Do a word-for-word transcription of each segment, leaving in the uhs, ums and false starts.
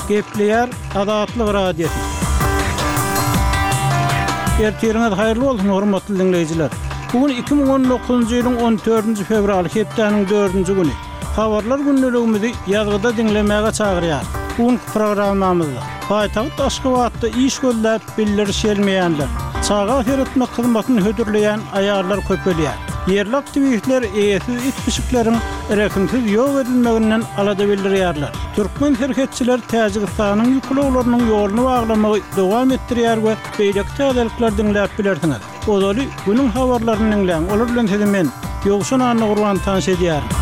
Gepleýär Azatlyk Radiosy. Ertiriňiz haýyrly bolsun, hormatly diňleýjiler. Bu gün iki müň on dokuzynjy ýylyň on dördünji fewraly, hepdäniň dördünji güni. Habarlar gündeligimizi ýazgyda diňlemäge çagyrýar. Bu günki programmamyzda paýtagt Aşgabatda iş gözläp bildiriş gelmeýänler, çaga seretmek hyzmatyny hödürleýän aýallar köpelýär. Ýerli aktiwistler eýesiz it pişikleriň rehimsiz ýok edilmeginden alada bildirýärler. Türkmen serhetçiler Täjigistanyň ýük ulaglarynyň ýoluny baglamagy dowam etdirýär we beýleki täzelikler diňläp bilersiňiz. Ozaly günüň habarlaryny diňläň. Olar bilen sizi men Ýowşan Annagurban tanyş edýärin.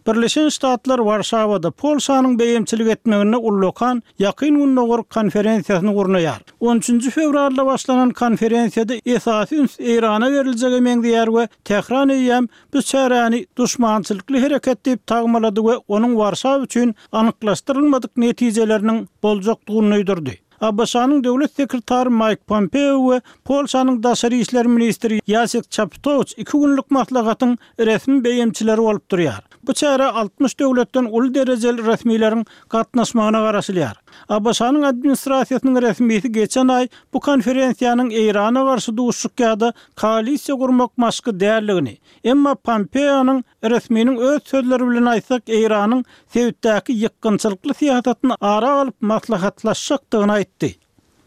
Birleşen Ştatlar Warşawada Polşanyň beýemçilik etmeginde ullakan Ýakyn Gündogar konferensiýasyny gurnaýar. on üçünji fewralda başlanan konferensiýada esasy üns Eýrana beriljege meňzeýär we Tähran eýýäm bu çäräni duşmançylykly hereket diýip tagmalady we onuň Warşawa üçin anyklaşdyrylmadyk netijeleriniň boljakdygyny duýdurdy. ABŞ-nyň döwlet sekretary Mike Pompeo we Polşanyň daşary işler ministri Ýasek Çaputowiç iki günlük maslahatyň resmi beýemçileri bolup durýar. Bu çäre altmyş döwletden uly derejeli resmileriň gatnaşmagyna garaşylýar. ABŞ-nyň administrasiýasynyň resmisi geçen aý bu konferensiýanyň Eýrana garşy duşuşyk ýa-da koalisiýa gurmak maşky däldigini, emma Pompeonyň resminiň öz sözleri bilen aýtsak, Eýranyň sebitdäki ýykgynçylykly syýasatyny ara alyp maslahatlaşjakdygyny aýtdy.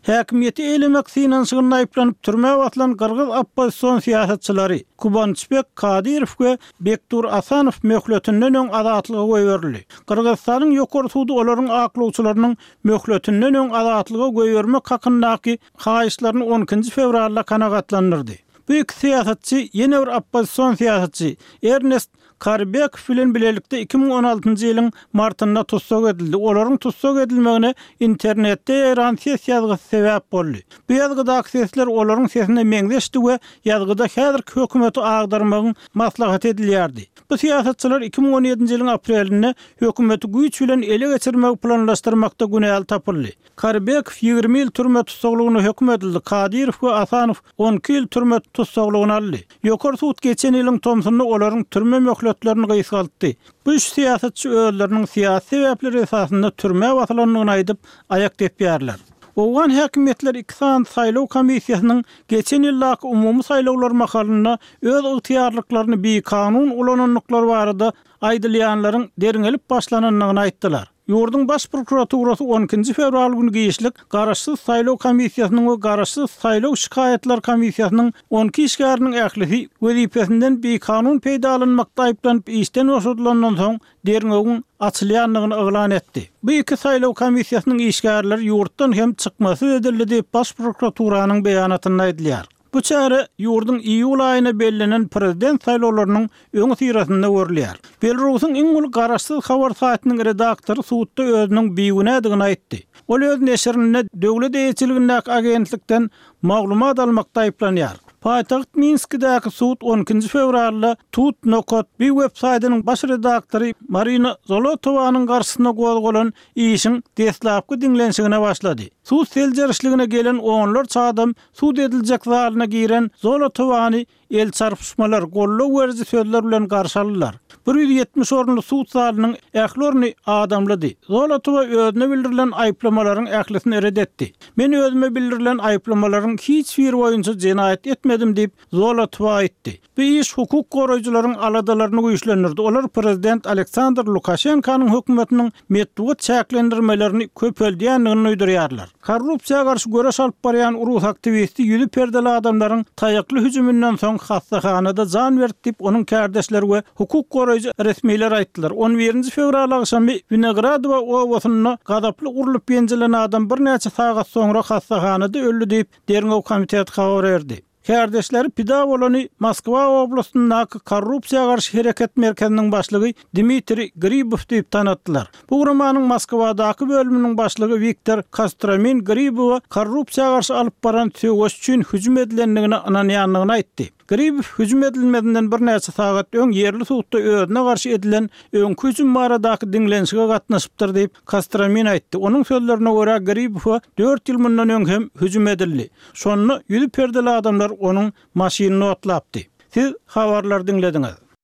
Häkimiýeti eýlemek synanyşygynda aýyplanyp türmä basylan gyrgyz oppozision syýasatçylary Kubançbek Kadyrow we Bekdur Asanow möhletinden öň azatlyga goýberildi. Gyrgyzystanyň ýokary sudy olaryň aklawçylarynyň möhletinden öň azatlyga goýbermek hakyndaky haýyşlaryny on ikinji fewralda kanagatlandyrdy. Bu iki syýasatçy ýene bir oppozision syýasatçy Ernest Karibekow bilen bilelikde iki müň on altynjy ýylyň martynda tussag edildi. Olaryň tussag edilmegine internetde ýaýran ses ýazgysy sebäp boldy. Bu ýazgydaky sesler olaryň sesine meňzeşdi we ýazgyda häzirki hökümeti agdarmagyň maslahat edilýärdi. Bu syýasatçylar iki müň on ýedinji ýylyň aprelinde hökümeti güýç bilen ele geçirmegi planlaşdyrmakda günäli tapyldy. Karibekow ýigrimi ýyl türme tussaglygyna höküm edildi. Kadyrow we Asanow on iki ýyl türme tussaglygyny aldy. Ýokary sud geçen ýylyň tomsunda olaryň türme möhletlerini gysgaltdy. Bu üç syýasatçy özleriniň syýasy sebäpleri esasynda türmä basylandygyny aýdyp, aýak depýärler. Owgan häkimiýetleri iki sany saýlaw komissiýasynyň geçen ýyldaky umumy saýlawlar mahalynda öz ygtyýarlyklaryny bikanun ulanandyklary barada aýdylýanlaryň derňelip başlanandygyny aýtdylar. Ýurduň baş prokuraturasy on ikinji fewral günü giçlik Garaşsyz saýlaw komissiýasynyň we Garaşsyz saýlaw şikaýatlar komissiýasynyň on iki işgäriniň ählisi wezipesinden bikanun peýdalanmakda aýyplanyp işden boşadylandan soň derňewiň açylýandygyny yglan etdi. Bu iki saýlaw komissiýasynyň işgärleri ýurtdan hem çykmasyz edildi diýip baş prokuraturanyň beýanatynda aýdylýar. Bu çäre ýurduň iýul aýyna bellenen prezident saýlawlarynyň öňi syrasynda görülýär. Belarusyň iň uly garaşsyz habar saýtynyň redaktory sudda özüniň bigünädigini aýtdy. Ol öz neşirinde döwlet eýeçiligindäki agentlikden maglumat almakda aýyplanýar. Paýtagt Minskidäki sud on ikinji fewralda Tut nokat bi web saýtynyň baş redaktory Marina Zolotowanyň garşysyna gozgalan işiň deslapky diňlenişigine başlady. Sud seljerişligine gelen onlarça adam sud ediljek zalyna giren Zolotowany el çarpyşmalar, gollag beriji sözler bilen garşy aldylar. bir ýüz ýetmiş orunly sud zalynyň ähli orny adamlydy. Zolotowa özüne bildirilen aýyplamalaryň ählisini red etdi. Men özüme bildirilen aýyplamalaryň hiç biri boýunça jenaýat etmedim diýip Zolotowa aýtdy. Bu iş hukuk goraýjylaryň aladalaryny güýçlendirdi. Olar prezident Aleksandr Lukaşenkanyň hökümetiniň metbugat çäklendirmelerini köpeldýändigini duýdurýarlar. Korrupsiýa garşy göreş alyp barýan rus aktiwisti ýüzi perdeli adamlaryň taýakly hüjüminden soň hastahanada jan berdi diýip onuň kärdeşleri we hukuk goraýjy resmiler aýtdylar. on birinji fewral agşamy Winogradowa obasynda gazaply urlup ýenjilen adam birnäçe sagat soňra hastahanada öldi diýip derňew komiteti habar berdi. Kärdeşleri pida bolany Moskwa oblastyndaky korrupsiýa garşy hereket merkeziniň başlygy Dmitri Gribow diýip tanatdylar. Bu guramanyň Moskwadaky bölüminiň başlygy Wiktor Kostromin Gribowa korrupsiýa garşy alyp baran söweş üçin hüjüm edilendigine ynanýandygyny aýtdy. Gribow hüjüm edilmezinden birnäçe sagat öň ýerli sudda özüne garşy edilen öňki hüjüm baradaky diňlenişige gatnaşypdyr diýip Kostromin aýtdy. Onuň sözlerine görä Gribowa dört ýyl mundan öň hem hüjüm edildi. Şonda ýüzi perdeli adamlar onuň maşynyny otlapdy. Siz habarlar diňlediňiz.